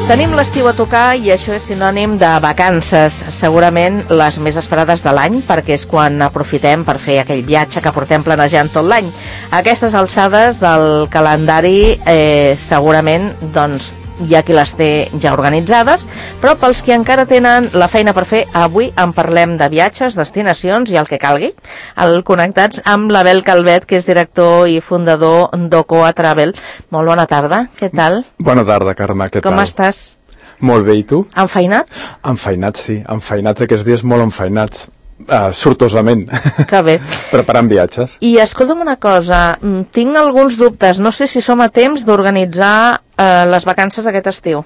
Tenim l'estiu a tocar i això és sinònim de vacances, segurament les més esperades de l'any, perquè és quan aprofitem per fer aquell viatge que portem planejant tot l'any. A aquestes alçades del calendari segurament doncs, hi ha qui les té ja organitzades, però pels que encara tenen la feina per fer, avui en parlem de viatges, destinacions i el que calgui. Connectats amb l'Abel Calvet, que és director i fundador d'Ocoa Travel. Molt bona tarda, què tal? Bona tarda, Carme, què tal? Com estàs? Molt bé, i tu? Enfeinat? Enfeinat, sí, enfeinats aquests dies, molt enfeinats. Sortosament. Que bé. Preparant viatges. I escolta'm una cosa, tinc alguns dubtes, no sé si som a temps d'organitzar les vacances d'aquest estiu.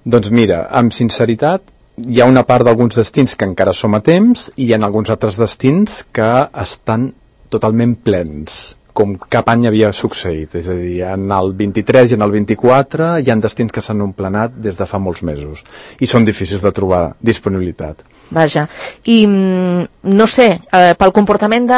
Doncs mira, amb sinceritat, hi ha una part d'alguns destins que encara som a temps i hi ha alguns altres destins que estan totalment plens, com cap any havia succeït. És a dir, en el 23 i en el 24 hi ha destins que s'han omplenat des de fa molts mesos i són difícils de trobar disponibilitat. Vaja, i no sé, pel comportament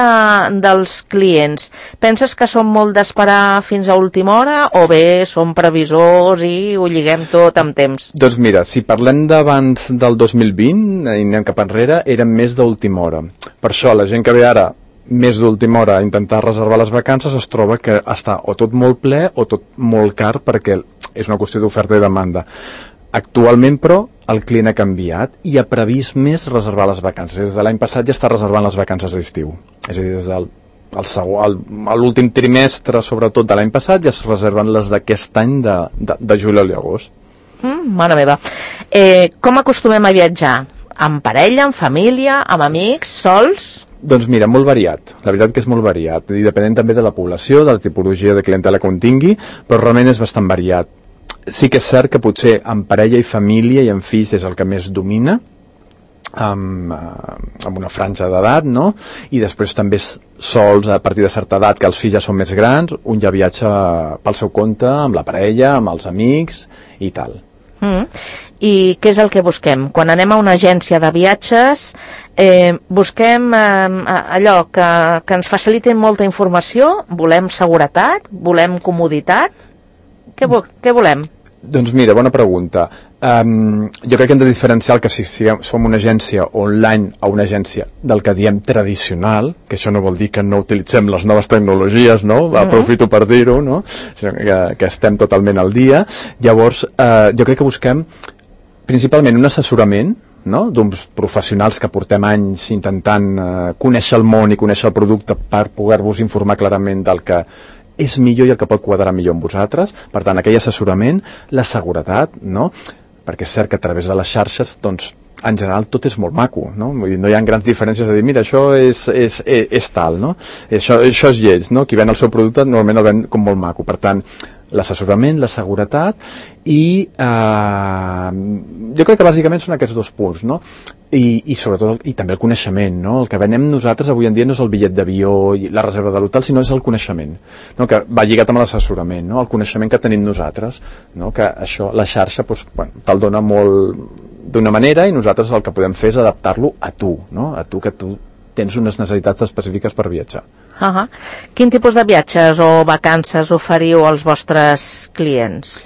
dels clients, penses que són molt d'esperar fins a última hora o bé són previsors i ho lliguem tot amb temps? Doncs mira, si parlem d'abans del 2020 i anem cap enrere, eren més d'última hora. Per això la gent que ve ara més d'última hora a intentar reservar les vacances es troba que està o tot molt ple o tot molt car perquè és una qüestió d'oferta i demanda. Actualment, però, el client ha canviat i ha previst més reservar les vacances. Des de l'any passat ja està reservant les vacances d'estiu. És a dir, des del l'últim trimestre, sobretot de l'any passat, ja es reserven les d'aquest any de juliol i agost. Mare meva. Com acostumem a viatjar? Amb parella, amb família, amb amics, sols? Doncs mira, molt variat. La veritat que és molt variat. I depenent també de la població, de la tipologia de clientela que un tingui, però realment és bastant variat. Sí que és cert que potser amb parella i família i amb fills és el que més domina, amb una franja d'edat, no? I després també sols a partir de certa edat, que els fills ja són més grans, un ja viatja pel seu compte, amb la parella, amb els amics i tal. I què és el que busquem? Quan anem a una agència de viatges, busquem allò que ens facilitin molta informació, volem seguretat, volem comoditat, què volem? Doncs mira, bona pregunta. Jo crec que hem de diferenciar el que si som una agència online o una agència del que diem tradicional, que això no vol dir que no utilitzem les noves tecnologies, no? Aprofito per dir-ho, no? Que estem totalment al dia. Llavors, jo crec que busquem principalment un assessorament, no? D'uns professionals que portem anys intentant conèixer el món i conèixer el producte per poder-vos informar clarament del que és millor i el que pot quadrar millor amb vosaltres. Per tant, aquell assessorament, la seguretat, no? Perquè és cert que a través de les xarxes, doncs, en general tot és molt maco, no? Vull dir, no hi ha grans diferències de dir, mira, això és tal, no? Això és lleig, no? Qui ven el seu producte normalment el ven com molt maco. Per tant, l'assessorament, la seguretat i jo crec que bàsicament són aquests dos punts, no? I sobretot i també el coneixement, no? El que venem nosaltres avui en dia no és el bitllet d'avió i la reserva de l'hotel, sinó és el coneixement, no? Que va lligat amb l'assessorament, no? El coneixement que tenim nosaltres, no? Que això, la xarxa doncs, bueno, te'l dona molt d'una manera i nosaltres el que podem fer és adaptar-lo a tu, no? A tu, que tu tens unes necessitats específiques per viatjar. Quin tipus de viatges o vacances oferiu als vostres clients?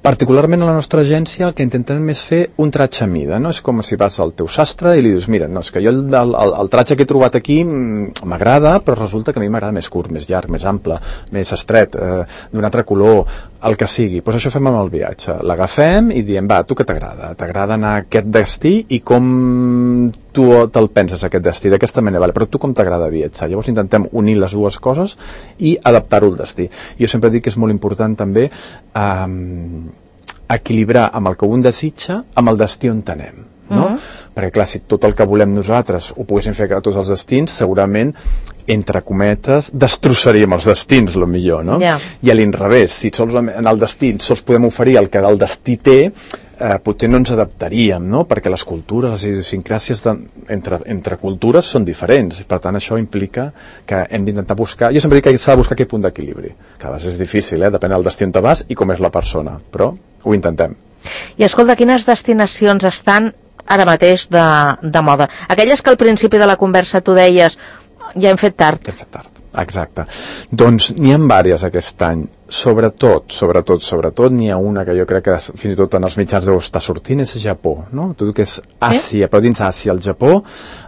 Particularment a la nostra agència el que intentem és fer un tratge a mida, no? És com si vas al teu sastre i li dius, mira, no, és que jo el tratge que he trobat aquí m'agrada, però resulta que a mi m'agrada més curt, més llarg, més ample, més estret, d'un altre color, el que sigui. Doncs això fem amb el viatge. L'agafem i diem, va, tu què t'agrada? T'agrada anar a aquest destí i com tu te'l penses, aquest destí, d'aquesta manera, vale, però tu com t'agrada viatjar? Llavors intentem unir les dues coses i adaptar-ho al destí. Jo sempre dic que és molt important també equilibrar amb el que un desitja amb el destí on anem, no? Perquè clar, si tot el que volem nosaltres ho poguéssim fer a tots els destins, segurament entre cometes destrossaríem els destins, lo millor, no? I a l'inrevés, si sols en el destí sols podem oferir el que el destí té, potser no ens adaptaríem, no? Perquè les cultures, les idiosincràsies entre cultures són diferents, per tant això implica que hem d'intentar buscar, jo sempre dic que s'ha de buscar aquest punt d'equilibri, que a vegades és difícil, depèn del destí on te vas i com és la persona, però ho intentem. I escolta, quines destinacions estan ara mateix de moda? Aquelles que al principi de la conversa tu deies, ja hem fet tard. Ja hem fet tard. Exacte. Doncs n'hi ha vàries aquest any. Sobretot, n'hi ha una que jo crec que fins i tot en els mitjans deu estar sortint, és Japó, no? Tot el que és Àsia, però dins Àsia, el Japó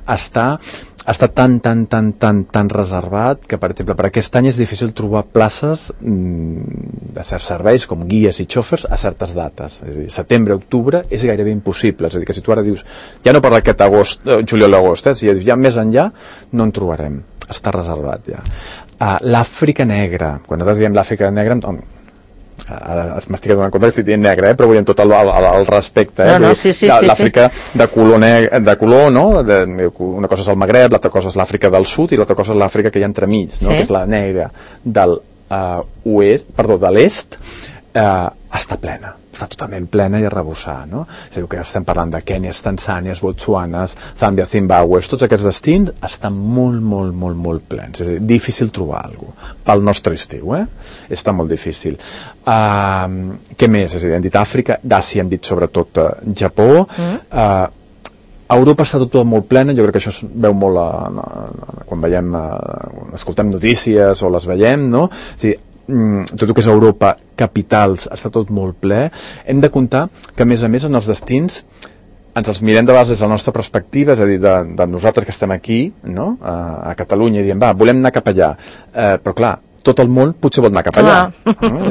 està tan reservat que, per exemple, per aquest any és difícil trobar places de certs serveis, com guies i xòfers, a certes dates. És a dir, setembre, octubre, és gairebé impossible. És a dir, que si tu ara dius, ja no per aquest agost, juliol-agost, si ja més enllà, no en trobarem. Està reservat ja. L'Àfrica negra, quan nosaltres diem l'Àfrica negra, ara m'estic donant compte que estic dient negra, però vull dir amb tot el respecte, l'Àfrica de color, no? Una cosa és el Magreb, l'altra cosa és l'Àfrica del Sud i l'altra cosa és l'Àfrica que hi ha entremig, no? Que és la negra del de l'est, està plena, està totalment plena i arrebossar, no? És a dir, que estem parlant de Kènia, Tanzània, Botsuanes, Zàmbia, Zimbàbue, tots aquests destins estan molt plens, és a dir, difícil trobar alguna cosa pel nostre estiu, està molt difícil. Què més? És a dir, hem dit Àfrica, d'Àsia hem dit sobretot Japó, Europa està tot molt plena, jo crec que això es veu molt quan veiem, escoltem notícies o les veiem, no? És a dir, tot el que és Europa, capitals, està tot molt ple. Hem de comptar que, a més, en els destins ens els mirem de vegades des de la nostra perspectiva, és a dir, de nosaltres que estem aquí, no? A Catalunya, i diem, volem anar cap allà. Però, clar, tot el món potser vol anar cap allà.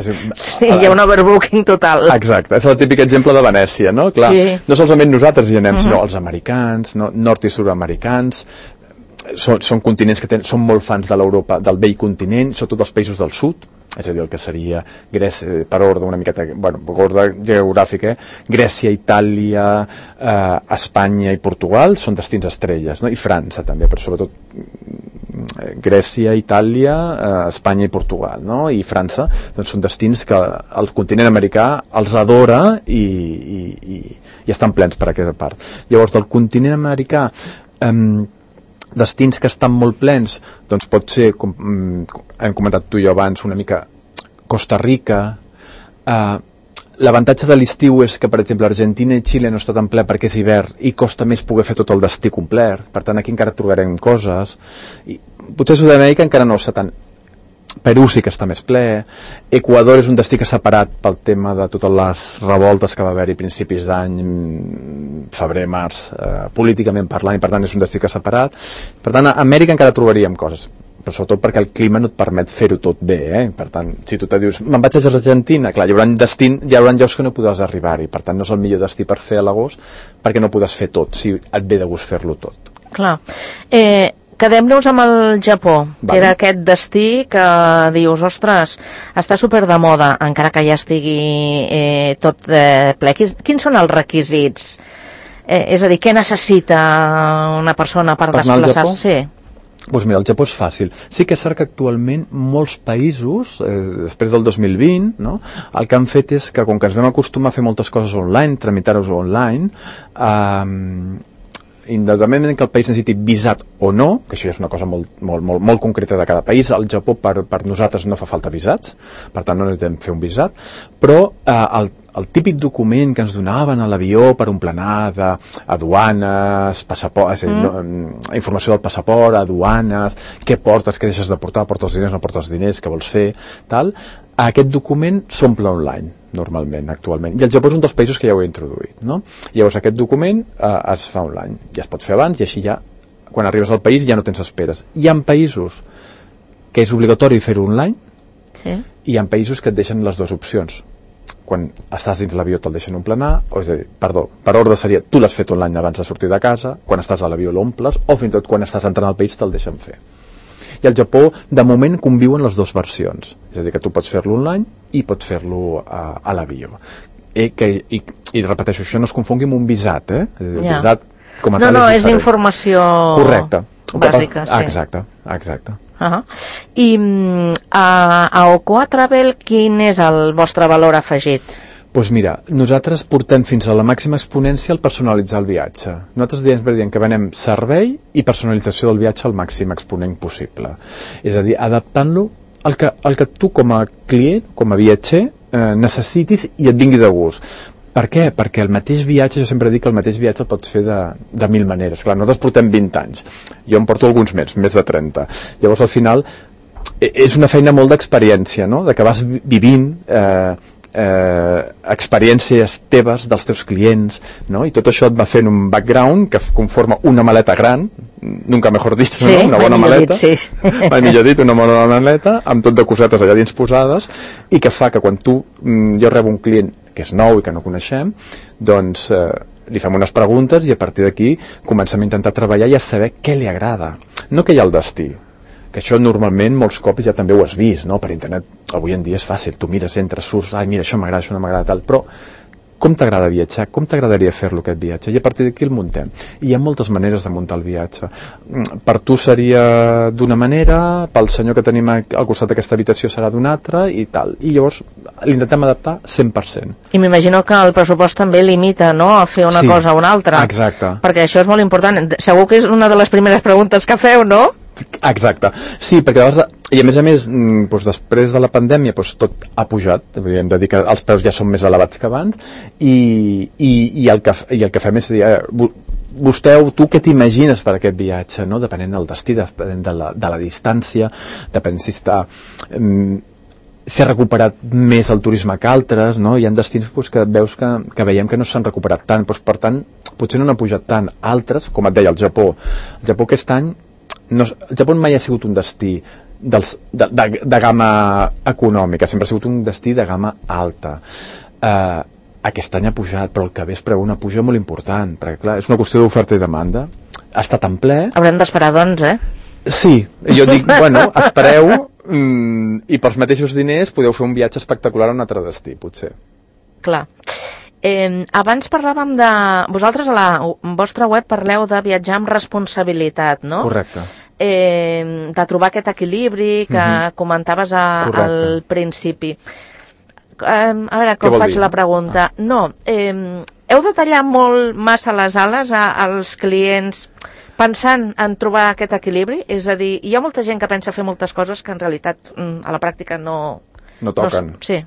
Sí, hi ha un overbooking total. Exacte, és el típic exemple de Venècia, no? Clar, no solament nosaltres hi anem, sinó els americans, nord i sud-americans. Són continents que són molt fans de l'Europa, del vell continent, sobretot dels països del sud, és a dir, el que seria Grècia, per ordre una miqueta, per ordre geogràfic, Grècia, Itàlia, Espanya i Portugal són destins estrelles, no? I França també, però sobretot Grècia, Itàlia, Espanya i Portugal, no? I França, doncs són destins que el continent americà els adora i estan plens per aquesta part. Llavors, del continent americà, destins que estan molt plens, doncs pot ser, com hem comentat tu i jo abans, una mica Costa Rica. L'avantatge de l'estiu és que, per exemple, Argentina i Xile no està tan ple perquè és hivern i costa més poder fer tot el destí complet. Per tant, aquí encara trobarem coses. I potser Sud-amèrica encara no està tan... Perú sí que està més ple. Equador és un destí que s'ha parat pel tema de totes les revoltes que va haver-hi principis d'any, febrer, març, políticament parlant, i per tant és un destí que s'ha parat. Per tant, a Amèrica encara trobaríem coses, però sobretot perquè el clima no et permet fer-ho tot bé, Per tant, si tu te dius, me'n vaig a Argentina, clar, hi haurà llocs que no podràs arribar-hi, per tant no és el millor destí per fer a l'agost, perquè no podràs fer tot, si et ve de gust fer-lo tot. Clar. Quedem-nos amb el Japó, que era aquest destí que dius, ostres, està super de moda, encara que ja estigui tot ple. Quins són els requisits? És a dir, què necessita una persona per desplaçar-se? Doncs mira, el Japó és fàcil. Sí que és cert que actualment molts països, després del 2020, no? El que han fet és que, com que ens vam acostumar a fer moltes coses online, tramitar-ho online, independentment que el país necessiti visat o no, que això ja és una cosa molt concreta de cada país, al Japó per nosaltres no fa falta visats, per tant no necessitem fer un visat, però el típic document que ens donaven a l'avió per un plenar d'aduanes, passaport, informació del passaport, aduanes, què portes, què deixes de portar, portes diners, no portes diners, què vols fer, tal, aquest document s'omple online normalment, actualment, i el Japó és un dels països que ja ho he introduït, no? Llavors aquest document es fa online, ja es pot fer abans i així ja, quan arribes al país ja no tens esperes. Hi ha països que és obligatori fer-ho online, i hi ha països que et deixen les dues opcions. Quan estàs dins l'avió te'l deixen emplenar, o és a dir, per ordre seria, tu l'has fet online abans de sortir de casa, quan estàs a l'avió l'omples, o fins i tot quan estàs entrant al país te'l deixen fer. I al Japó, de moment, conviuen les dues versions. És a dir, que tu pots fer-lo online i pots fer-lo a l'avió. I repeteixo, això no es confongui amb un visat, És a dir, visat com a tal és informació bàsica. Exacte. I a Ocoa Travel, quin és el vostre valor afegit? Doncs mira, nosaltres portem fins a la màxima exponència el personalitzar el viatge. Nosaltres diem que venem servei i personalització del viatge al màxim exponent possible. És a dir, adaptant-lo al que tu com a client, com a viatger, necessitis i et vingui de gust. Per què? Perquè el mateix viatge, jo sempre dic que el mateix viatge el pots fer de 1000 maneres. Clar, nosaltres portem 20 anys. Jo em porto alguns més de 30. Llavors, al final, és una feina molt d'experiència, no? De que vas vivint experiències teves dels teus clients, no? I tot això et va fent un background que conforma una maleta gran, nunca mejor dit, sí, no? Una bona maleta, sí. mai millor dit, una bona maleta amb tot de cosetes allà dins posades, i que fa que quan jo rebo un client que és nou i que no coneixem, doncs li fem unes preguntes i a partir d'aquí comencem a intentar treballar i a saber què li agrada, no què hi ha al destí, que això normalment molts cops ja també ho has vist, no? Per internet avui en dia és fàcil, tu mires, entres, surts, ai mira, això m'agrada, això no m'agrada, tal, però com t'agrada viatjar? Com t'agradaria fer-lo aquest viatge? I a partir d'aquí el muntem. I hi ha moltes maneres de muntar el viatge. Per tu seria d'una manera, pel senyor que tenim al costat d'aquesta habitació serà d'una altra i tal. I llavors l'intentem adaptar 100%. I m'imagino que el pressupost també limita, no?, a fer una cosa o una altra. Exacte. Perquè això és molt important. Segur que és una de les primeres preguntes que feu, no? Exacte, sí, perquè i a més doncs, després de la pandèmia doncs, tot ha pujat, hem de dir que els preus ja són més elevats que abans i el que fem és dir, tu què t'imagines per aquest viatge, no? Depenent del destí, depenent de la distància, depenent si està s'ha recuperat més el turisme que altres, no? Hi ha destins doncs, que veus que veiem que no s'han recuperat tant, doncs, per tant potser no n'ha pujat tant. Altres, com et deia, el Japó aquest any el Japó mai ha sigut un destí de gamma econòmica, sempre ha sigut un destí de gamma alta. Aquest any ha pujat, però el que ve es preveu una puja molt important, perquè clar, és una qüestió d'oferta i demanda. Ha estat en ple. Haurem d'esperar, doncs, Sí, jo dic, bueno, espereu i pels mateixos diners podeu fer un viatge espectacular a un altre destí, potser. Clar. Abans parlàvem de... Vosaltres a la vostra web parleu de viatjar amb responsabilitat, no? Correcte. De trobar aquest equilibri que comentaves al principi. A veure, com faig la pregunta? No, heu de tallar molt massa les ales als clients pensant en trobar aquest equilibri? És a dir, hi ha molta gent que pensa fer moltes coses que en realitat a la pràctica no toquen. Sí.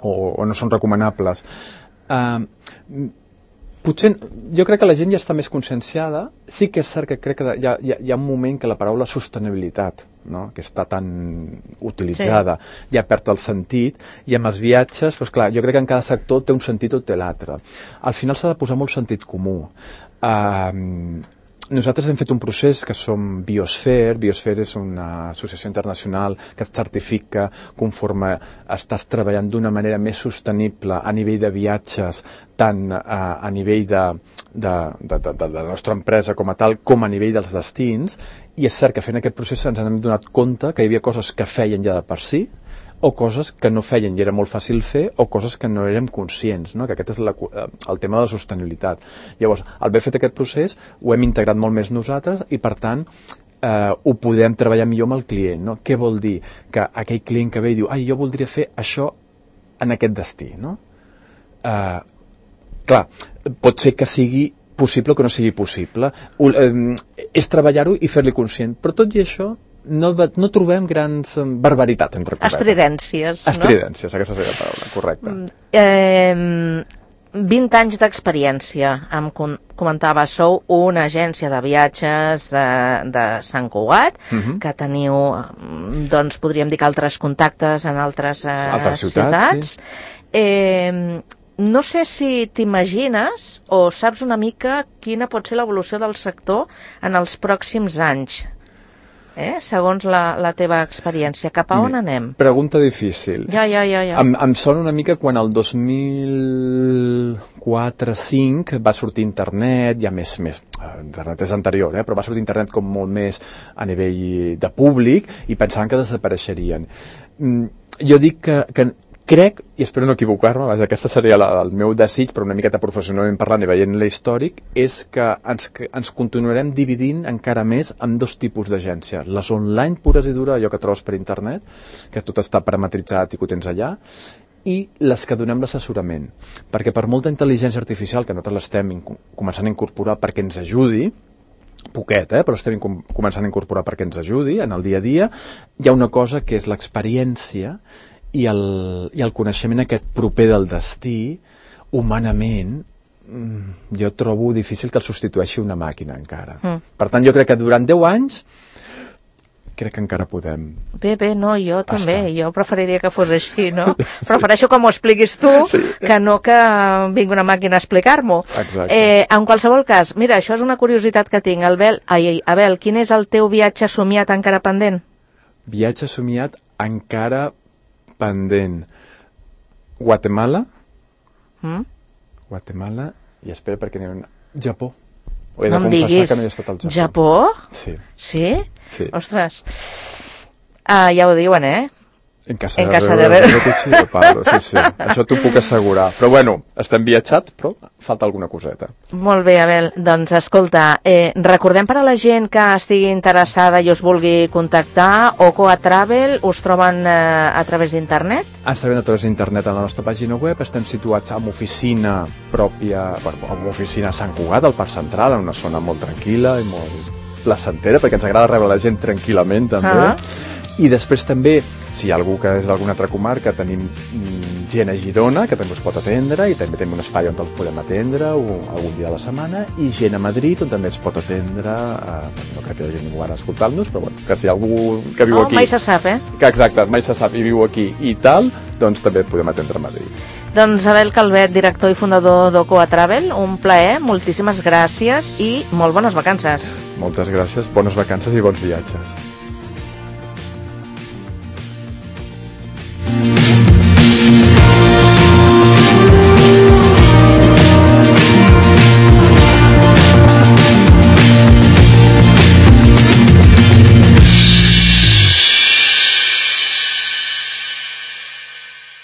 O no són recomanables. Potser, jo crec que la gent ja està més conscienciada. Sí que és cert que crec que hi ha un moment que la paraula sostenibilitat, no? Que està tan utilitzada, ja perd el sentit, i amb els viatges, doncs clar, jo crec que en cada sector té un sentit o té l'altre. Al final s'ha de posar molt sentit comú. Nosaltres hem fet un procés que som Biosphere. Biosphere és una associació internacional que et certifica conforme estàs treballant d'una manera més sostenible a nivell de viatges, tant a nivell de la nostra empresa com a tal, com a nivell dels destins. I és cert que fent aquest procés ens hem donat compte que hi havia coses que feien ja de per si, o coses que no feien i era molt fàcil fer, o coses que no érem conscients, no? Que aquest és el tema de la sostenibilitat. Llavors, al haver fet aquest procés, ho hem integrat molt més nosaltres i, per tant, ho podem treballar millor amb el client, no? Què vol dir? Que aquell client que ve i diu, jo voldria fer això en aquest destí, no? Clar, pot ser que sigui possible o que no sigui possible. És treballar-ho i fer-li conscient. Però tot i això, no trobem grans barbaritats entre cometes. Estridències, no? Estridències, aquesta seria la paraula, correcte. 20 anys d'experiència, em comentava, sou una agència de viatges de Sant Cugat, que teniu, doncs podríem dir que altres contactes en altres ciutats. Sí. No sé si t'imagines o saps una mica quina pot ser l'evolució del sector en els pròxims anys. Segons la teva experiència, cap a on anem? Pregunta difícil. Ja. Em sona una mica quan el 2004-2005 va sortir internet, ja més internet és anterior, però va sortir internet com molt més a nivell de públic i pensaven que desapareixerien. Jo dic que crec, i espero no equivocar-me, aquesta seria el meu desig, però una miqueta professionalment parlant i veient l'històric, és que ens continuarem dividint encara més en dos tipus d'agències. Les online pures i dures, allò que trobes per internet, que tot està parametritzat i que ho tens allà, i les que donem l'assessorament. Perquè per molta intel·ligència artificial que nosaltres l'estem començant a incorporar perquè ens ajudi, poquet, però estem començant a incorporar perquè ens ajudi en el dia a dia, hi ha una cosa que és l'experiència i el coneixement aquest proper del destí, humanament, jo trobo difícil que el substitueixi una màquina encara. Per tant, jo crec que durant 10 anys crec que encara podem. Bé, no, jo també. Jo preferiria que fos així, no? Prefereixo que m'ho expliquis tu, que no que vingui una màquina a explicar-m'ho. En qualsevol cas, mira, això és una curiositat que tinc. Abel, quin és el teu viatge somiat encara pendent? Viatge somiat encara pendent. Guatemala. Guatemala, i espera perquè n'hi ha un... Japó. He de confessar que no he estat al Japó. Japó? Sí. Sí? Ostres. Ja ho diuen, En casa de Cuchillo Pablo, sí. Això t'ho puc assegurar. Però bueno, estem viatjats, però falta alguna coseta. Molt bé, Abel. Doncs escolta, recordem per a la gent que estigui interessada i us vulgui contactar, Ocoa Travel, us troben a través d'internet? Estem a través d'internet a la nostra pàgina web. Estem situats amb oficina pròpia, amb oficina a Sant Cugat, al Parc Central, en una zona molt tranquil·la i molt placentera, perquè ens agrada rebre la gent tranquil·lament, també. I després també, si hi ha algú que és d'alguna altra comarca, tenim gent a Girona, que també us pot atendre, i també tenim un espai on els podem atendre algun dia a la setmana, i gent a Madrid, on també ens pot atendre, no crec que hi hagi ningú ara escoltant-nos, però bueno, que si hi ha algú que viu aquí... mai se sap, Que exacte, mai se sap, i viu aquí i tal, doncs també podem atendre a Madrid. Doncs Abel Calvet, director i fundador d'Ocoa Travel, un plaer, moltíssimes gràcies i molt bones vacances. Moltes gràcies, bones vacances i bons viatges.